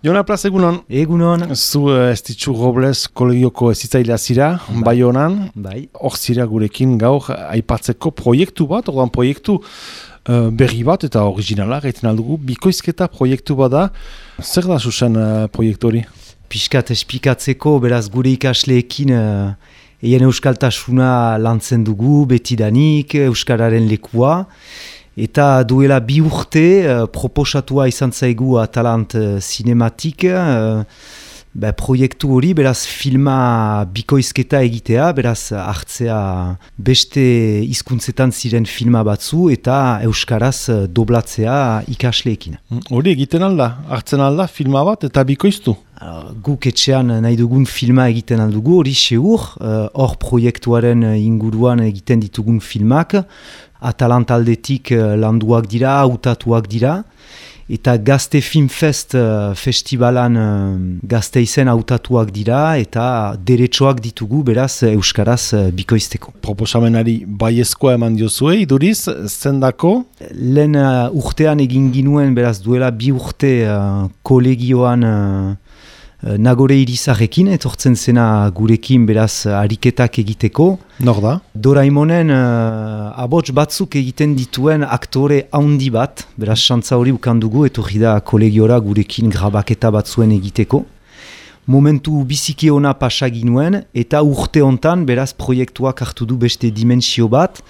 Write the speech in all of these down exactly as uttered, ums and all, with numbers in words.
Jona Plaz, egunon. Egunon. Zu uh, Estitxu Robles kolegioko ezitzailea zira, bai. Baionan. Bai. Hor zira gurekin gaur aipatzeko proiektu bat, orduan proiektu uh, berri bat eta originala, gaiten aldugu, bikoizketa proiektu bat da. Zer da zuzen uh, proiektu hori? Piskat espikatzeko, beraz gure ikasleekin uh, eien euskaltasuna lantzen dugu, betidanik, euskararen lekua. Eta duela bi urte uh, proposatua izan zaigu Atalant uh, Cinematik, uh, ba, proiektu hori, beraz filma bikoizketa egitea, beraz hartzea beste hizkuntzetan ziren filma batzu eta euskaraz uh, doblatzea ikasleekin. Hori egiten alda, hartzen alda filma bat eta bikoiztu? Uh, guk etxean nahi dugun filma egiten aldugu, hori seur, hor uh, proiektuaren inguruan egiten ditugun filmak, Atalant aldetik uh, landuak dira, hautatuak dira, eta Gazte Filmfest uh, festivalan uh, Gazteizen hautatuak dira, eta deretsoak ditugu, beraz, euskaraz uh, bikoizteko. Proposamenari baiezkoa eman diozue, iduriz, zendako? Lehen uh, urtean egin ginuen, beraz, duela bi urte uh, kolegioan uh, Nagore Irizarrekin, etortzen zena gurekin beraz ariketak egiteko. Nor da? Doraimonen uh, abots batzuk egiten dituen aktore handi bat, beraz xantza hori ukandugu, etorri da kolegiora gurekin grabaketa batzuen egiteko. Momentu biziki ona pasa ginuen, eta urte hontan beraz proiektuak hartu du beste dimensio bat,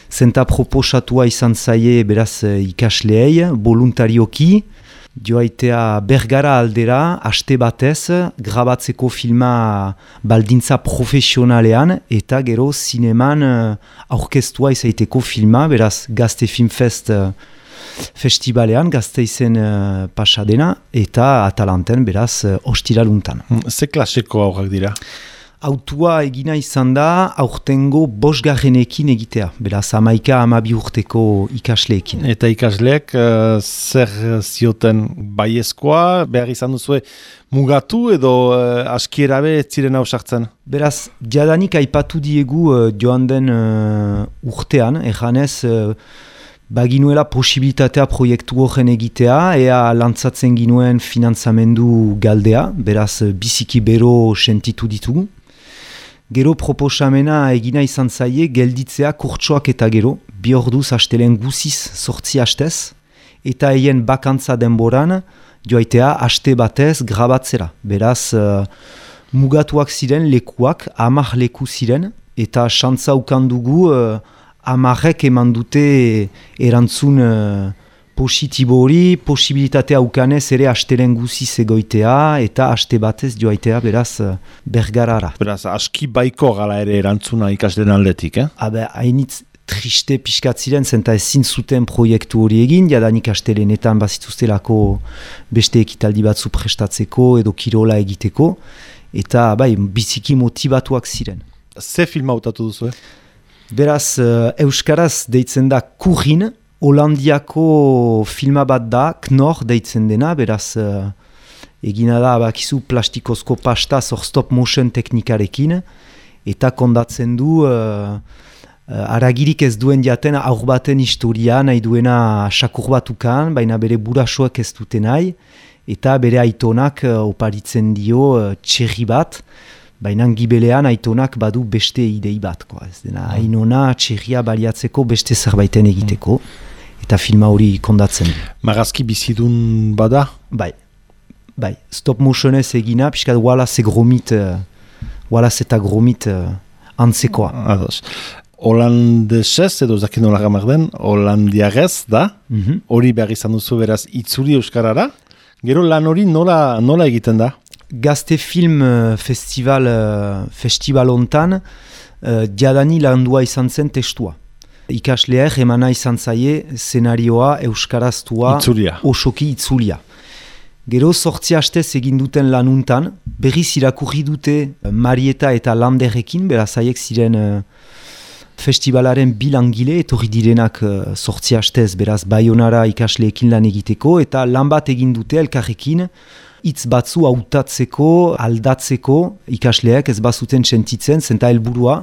zenta proposatua izan zaie beraz ikasleei, voluntarioki, joaitea Bergara aldera, aste batez, grabatzeko filma baldintza profesionalean, eta gero zineman aurkeztua izaiteko filma, beraz Gazte Filmfest festivalean, Gazteizen uh, pasadena, eta Atalanten, beraz, uh, ostiraluntan. Ze klaseko aurrak dira? Autua egina izan da, aurtengo bosgarrenekin egitea, beraz, amaika amabi urteko ikasleekin. Eta ikasleek uh, zer zioten baiezkoa, behar izan duzue mugatu edo uh, askierabe ziren hausartzen? Beraz, jadanik aipatu diegu uh, joan den uh, urtean, erranez, uh, baginuela posibilitatea proiektu horren egitea, ea lantzatzen ginuen finantzamendu galdea, beraz, biziki bero sentitu ditugu. Gero proposamena egina izan zaie gelditzea kurtsoak eta gero, bi orduz astelen guziz sortzi hastez, eta eien bakantza denboran joaitea aste batez grabatzera. Beraz, uh, mugatuak ziren lekuak, hamar leku ziren, eta xantza ukandugu uh, hamarrek eman dute erantzun uh, positibo hori, posibilitatea ukanez ere astelen guziz egoitea eta aste batez joaitea beraz Bergarara. Beraz, aski baiko gala ere erantzuna ikasleen aldetik, eh? Habe, hainitz triste pixkat ziren, zenta ezin zuten proiektu hori egin, jadanik astelenetan bazituztelako beste ekitaldi batzu prestatzeko edo kirola egiteko, eta bai, biziki motivatuak ziren. Ze filma hautatu duzu, eh? Beraz, euskaraz deitzen da Kurrin, Holandiako filma bat da, Knor deitzen dena, beraz uh, egina da bakizu plastikozko pasta zor stop motion teknikarekin, eta kondatzen du uh, uh, aragirik ez duen jaten aur baten historia, nahi duena sakur batukan, baina bere burasoak ez dute nahi, eta bere aitonak uh, oparitzen dio uh, txerri bat, baina gibelean aitonak badu beste idei bat, ko. Ez dena ainona txerria baliatzeko beste zerbaiten egiteko. Eta filma hori kondatzen. Marazki bizidun bada? Bai, bai. Stop motionez egina, piskat Wallace gromit, uh, Wallace eta gromit uh, antzekoa. Ados. Holandesez, edo zakin nola gamar den, holandiarez da, mm-hmm. Hori behar izan duzu beraz itzuri euskarara, gero lan hori nola, nola egiten da? Gazte Film uh, Festival, uh, festival ontan, uh, diadani landua izan zen testua. Ikasleak emana izan zaie szenarioa euskaraztua itzulia. Osoki itzulia. Gero sortzi hastez egin duten lanuntan, berriz irakurri dute Marieta eta Landerrekin, beraz haiek ziren uh, festivalaren bilangile, etorri direnak uh, sortzi hastez, beraz Baionara ikasleekin lan egiteko, eta lan bat egin dute elkarrekin, hitz batzu hautatzeko, aldatzeko, ikasleak ez bazuten sentitzen, zenta helburua,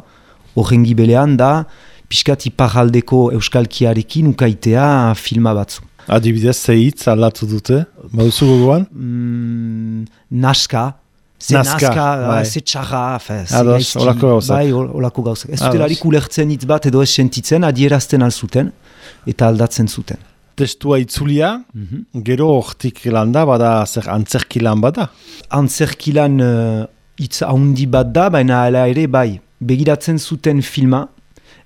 horren gibelean da, piskat iparraldeko euskalkiarekin ukaitea filma batzu. Adibidez, ze hitz aldatu dute? Baduzu gogoan? Mm, naska, ze Nazka, naska, bai. ze txarra, fe, ze Ados, gaizki, holako gauzak. bai, hol- holako gauzak. Ez Ados. zutelarik ulertzen hitz bat edo ez sentitzen, adierazten alzuten eta aldatzen zuten. Testua itzulia, Mhm. gero hortik landa, bada zer antzerki lan bada. Antzerkilan uh, hitz haundi bat da, baina hala ere bai, begiratzen zuten filma,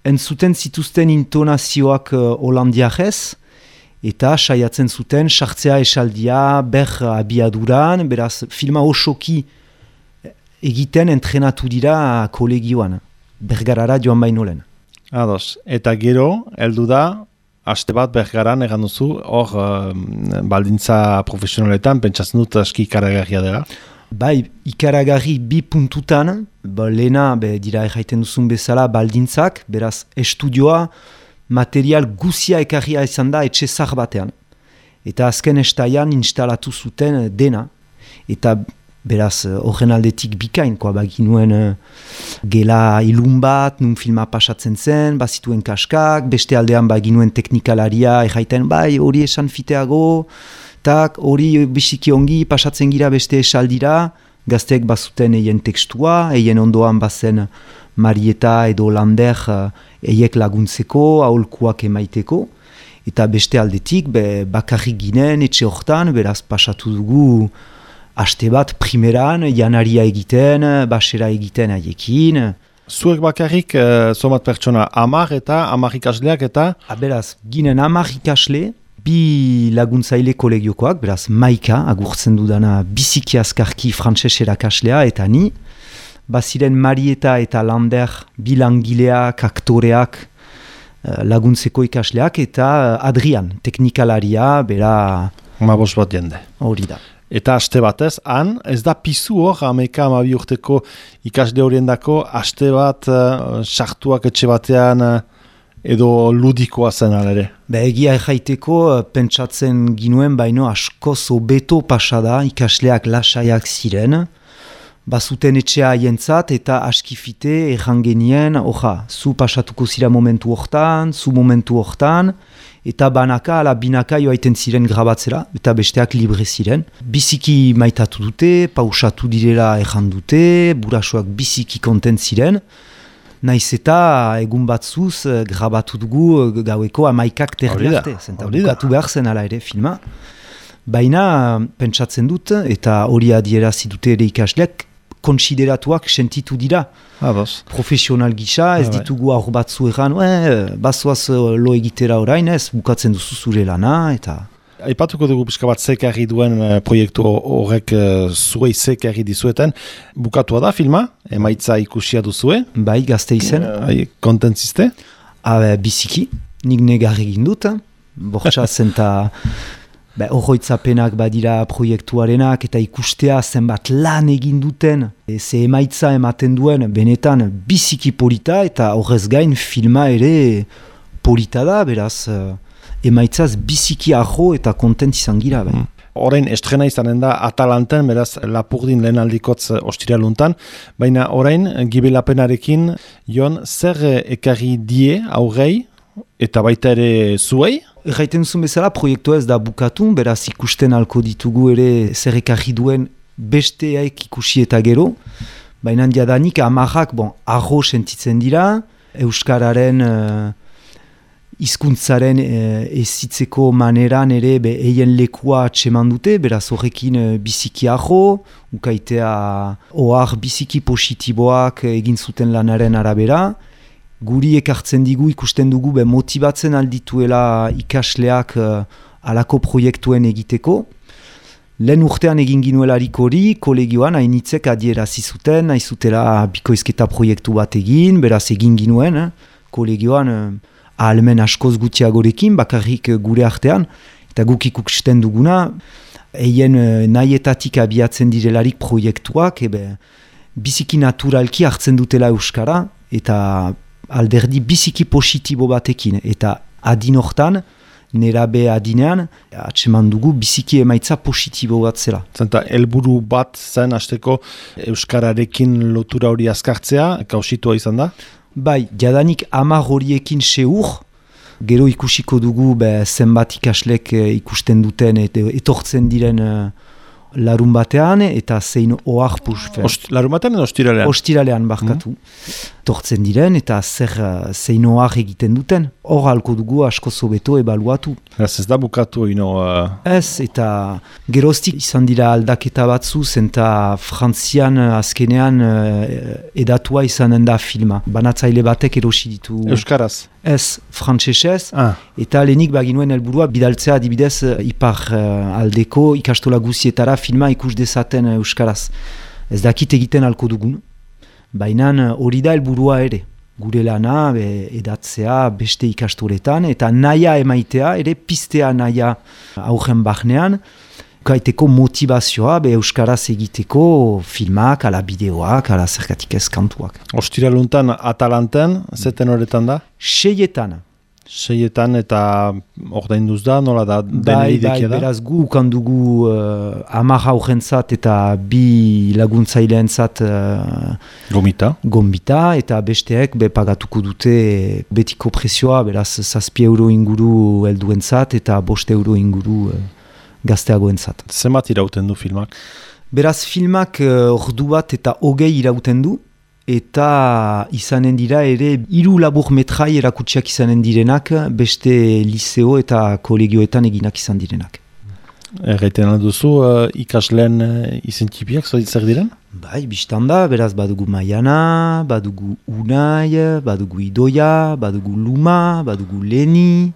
entzuten zituzten intonazioak uh, holandiarrez, eta saiatzen zuten sartzea esaldia ber abiaduran, beraz filma osoki egiten entrenatu dira kolegioan, Bergarara joan baino lehen. Ados, eta gero, heldu da, aste bat Bergaran egan duzu, hor um, baldintza profesionaletan, pentsatzen dut aski ikaragarria dela. Bai, ikaragarri bi puntutan, ba, lehena be, dira erraiten duzun bezala baldintzak, beraz estudioa, material guzia ekarria izan da etxe zar batean. Eta azken estaian instalatu zuten dena. Eta beraz horren aldetik bikain, koa baginuen uh, gela ilun bat, nun filma pasatzen zen, bazituen kaskak, beste aldean baginuen teknikalaria erraiten bai hori esan fiteago, tak hori bisiki ongi pasatzen gira beste esaldira, gazteek bazuten eien tekstua, eien ondoan bazen Marieta edo Lander uh, eiek laguntzeko, aholkuak emaiteko, eta beste aldetik be, bakarrik ginen etxe hortan, beraz pasatu dugu aste bat primeran, janaria egiten, basera egiten haiekin. Zuek bakarrik, uh, zomat pertsona, amar eta amar ikasleak eta... A, beraz, ginen amar ikasle, bi laguntzaile kolegiokoak, beraz, Maika, agurtzen dudana biziki azkarki frantses erakaslea, eta ni, baziren Marieta eta Lander, bi langileak, aktoreak, laguntzeko ikasleak, eta Adrian, teknikalaria, bera... Mabos bat jende. Hori da. Eta aste batez, han, ez da pizu hor, ameka amabi urteko ikasle horiendako, aste bat uh, sartuak etxe batean uh, edo ludikoa zen alere. Be, egia erraiteko, pentsatzen ginuen, baino askoz hobeto pasada, ikasleak lasaiak ziren, bazuten etxea haientzat eta askifite errangenien, oja, zu pasatuko zira momentu hortan, zu momentu hortan, eta banaka ala binaka joaiten ziren grabatzera, eta besteak libre ziren. Biziki maitatu dute, pausatu direla erran dute, burasoak biziki kontent ziren, naiz eta egun batzuz grabatu dugu gaueko amaikak terdi arte, zenta bukatu behar zen ala ere filma. Baina pentsatzen dut, eta hori adierazi dute ere ikasleak, konsideratuak sentitu dira. Ados. Profesional gisa, ez ditugu aur batzu egan, eh, bazoaz lo egitera orain, ez bukatzen duzu zure lana, eta... Aipatuko dugu pixka bat zekarri duen uh, proiektu horrek uh, zuei zekarri dizueten. Bukatua da filma, emaitza ikusia duzue. Bai, gazte izen. Uh, kontentziste? Habe, biziki, nik negar egin dut, bortxa zenta... Be, horroitzapenak badira proiektuarenak eta ikustea zenbat lan egin duten. E, ze emaitza ematen duen benetan biziki polita eta horrez gain filma ere polita da, beraz emaitzaz biziki ajo eta kontent izan gira. Mm. Orain estrena izanen da Atalanten, beraz Lapurdin lehen aldikotz ostiraluntan, baina orain gibelapenarekin Jon zer ekarri die aurrei eta baita ere zuei? Erraiten zuen bezala, proiektua ez da bukatu, beraz ikusten alko ditugu ere zer ekarri duen besteak ikusi eta gero. Baina jadanik amarrak, bon, arro sentitzen dira, Euskararen uh, hizkuntzaren uh, ezitzeko maneran ere be, eien lekua atseman dute, beraz horrekin uh, biziki arro, ukaitea ohar biziki positiboak egin zuten lanaren arabera. Guri ekartzen digu ikusten dugu be motibatzen aldituela ikasleak uh, alako proiektuen egiteko. Lehen urtean egin ginuelarik hori, kolegioan hainitzek adierazi zuten, nahi zutela bikoizketa proiektu bat egin, beraz egin ginuen, eh? Kolegioan uh, ahalmen askoz gutxiagorekin, bakarrik uh, gure artean, eta guk ikusten duguna, eien uh, nahietatik abiatzen direlarik proiektuak, ebe, biziki naturalki hartzen dutela Euskara, eta alderdi biziki positibo batekin, eta adin hortan, nerabe adinean, atseman dugu biziki emaitza positibo bat zela. Zenta, helburu bat zen hasteko Euskararekin lotura hori azkartzea, kausitua izan da? Bai, jadanik hamar horiekin seur, gero ikusiko dugu be, zenbat ikaslek ikusten duten, et, etortzen diren uh, larun batean eta zein ohar pusfe. Ost, larun batean edo ostiralean? Ostiralean barkatu. Mm. Tortzen diren eta zer zein ohar egiten duten. Hor halko dugu asko zobeto ebaluatu. Ez ez da bukatu ino... Uh... Ez, eta geroztik izan dira aldaketa batzu, zenta Frantzian azkenean edatua izanen da filma. Banatzaile batek erosi ditu... Euskaraz? Ez, frantsesez, ah. eta lehenik baginuen helburua bidaltzea adibidez ipar uh, aldeko ikastola guzietara filma ikus dezaten uh, euskaraz. Ez dakit egiten halko dugun, baina hori da helburua ere. Gure lana be, edatzea beste ikastoletan, eta naia emaitea, ere pistea naia aurren bahnean, kaiteko motivazioa be euskaraz egiteko filmak, ala bideoak, ala zergatik ez kantuak. Ostiraluntan Atalanten, zeten horretan da? Seietan. Seietan eta ordainduz da, nola da, bai, deneri bai, dekia da? Beraz gu ukandugu uh, hamar aurrentzat eta bi laguntzaileentzat uh, Gomita. Gomita, eta besteek be pagatuko dute betiko prezioa, beraz zazpi euro inguru helduentzat eta bost euro inguru uh, gazteagoentzat. Zenbat irauten du filmak? Beraz filmak uh, ordu bat eta hogei irauten du, eta izanen dira ere hiru labur metrai erakutsiak izanen direnak, beste liceo eta kolegioetan eginak izan direnak. Erraiten alduzu, uh, ikasleen uh, izentipiak zer diren? Bai, biztanda, beraz badugu Maiana, badugu Unai, badugu Idoia, badugu Luma, badugu Leni,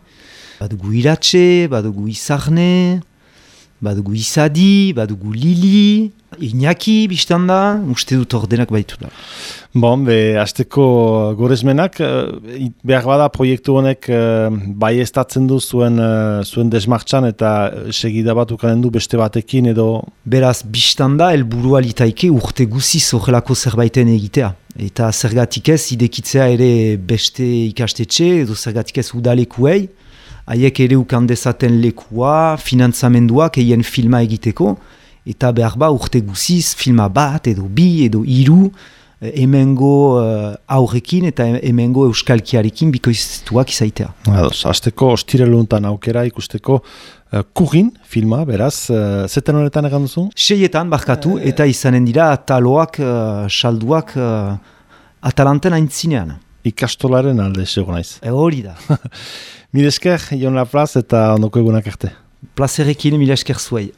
badugu Iratxe, badugu Izarne, badugu Izadi, badugu Lili, Iñaki biztanda, uste dut ordenak baitu da. Bon, be, azteko gorezmenak, behar bada proiektu honek bai estatzen du zuen, zuen desmartxan eta segida bat ukanen du beste batekin edo... Beraz, biztanda, helburua litaike urte guziz horrelako zerbaiten egitea. Eta zergatik ez, idekitzea ere beste ikastetxe edo zergatik ez udalekuei, haiek ere ukan dezaten lekua, finantzamenduak eien filma egiteko, eta behar ba urte guziz, filma bat edo bi edo hiru, hemengo uh, aurrekin eta hemengo euskalkiarekin bikoiztuak izaitea. Ados, azteko ostireluntan aukera ikusteko uh, Kurin filma, beraz, uh, zeten honetan egan duzu? Seietan barkatu eta izanen dira ataloak, uh, salduak uh, Atalanten aintzinean. Ikastolaren alde sego naiz. E hori da. Mil esker, Jon Laplaz eta ondoko egunak arte. Plazerekin mil esker zuei.